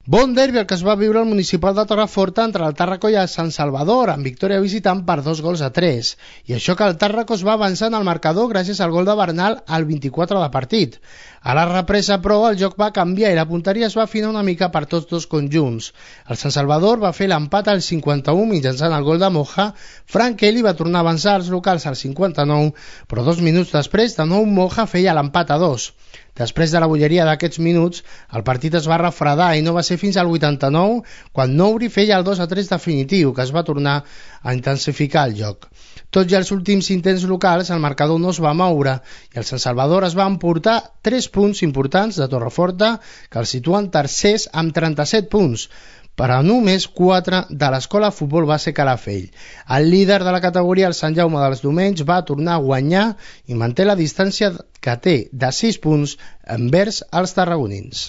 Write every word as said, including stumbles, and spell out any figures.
Bon derbi el que es va viure al municipal de Torreforta entre el Tàrraco i el Sant Salvador, amb victòria visitant per dos gols a tres. I això que el Tàrraco es va avançar en el marcador gràcies al gol de Bernal al vint-i-quatre de partit. A la represa, però, el joc va canviar i la punteria es va afinar una mica per tots dos conjunts. El Sant Salvador va fer l'empat al cinquanta-u mitjançant el gol de Moja. Frank Kelly va tornar a avançar als locals al cinquanta-nou, però dos minuts després, de nou Moja feia l'empat a dos. Després de la bolleria d'aquests minuts, el partit es va refredar i no va ser fins al vuitanta-nou quan Nouri feia el dos a tres definitiu, que es va tornar a intensificar el joc. Tot i els últims intents locals, el marcador no es va moure i el Sant Salvador es va emportar tres punts importants de Torreforta, que el situen tercers amb trenta-set punts, però només quatre de l'Escola Futbol Base Calafell. El líder de la categoria, el Sant Jaume dels Domenys, va tornar a guanyar i manté la distància que té de sis punts envers els tarragonins.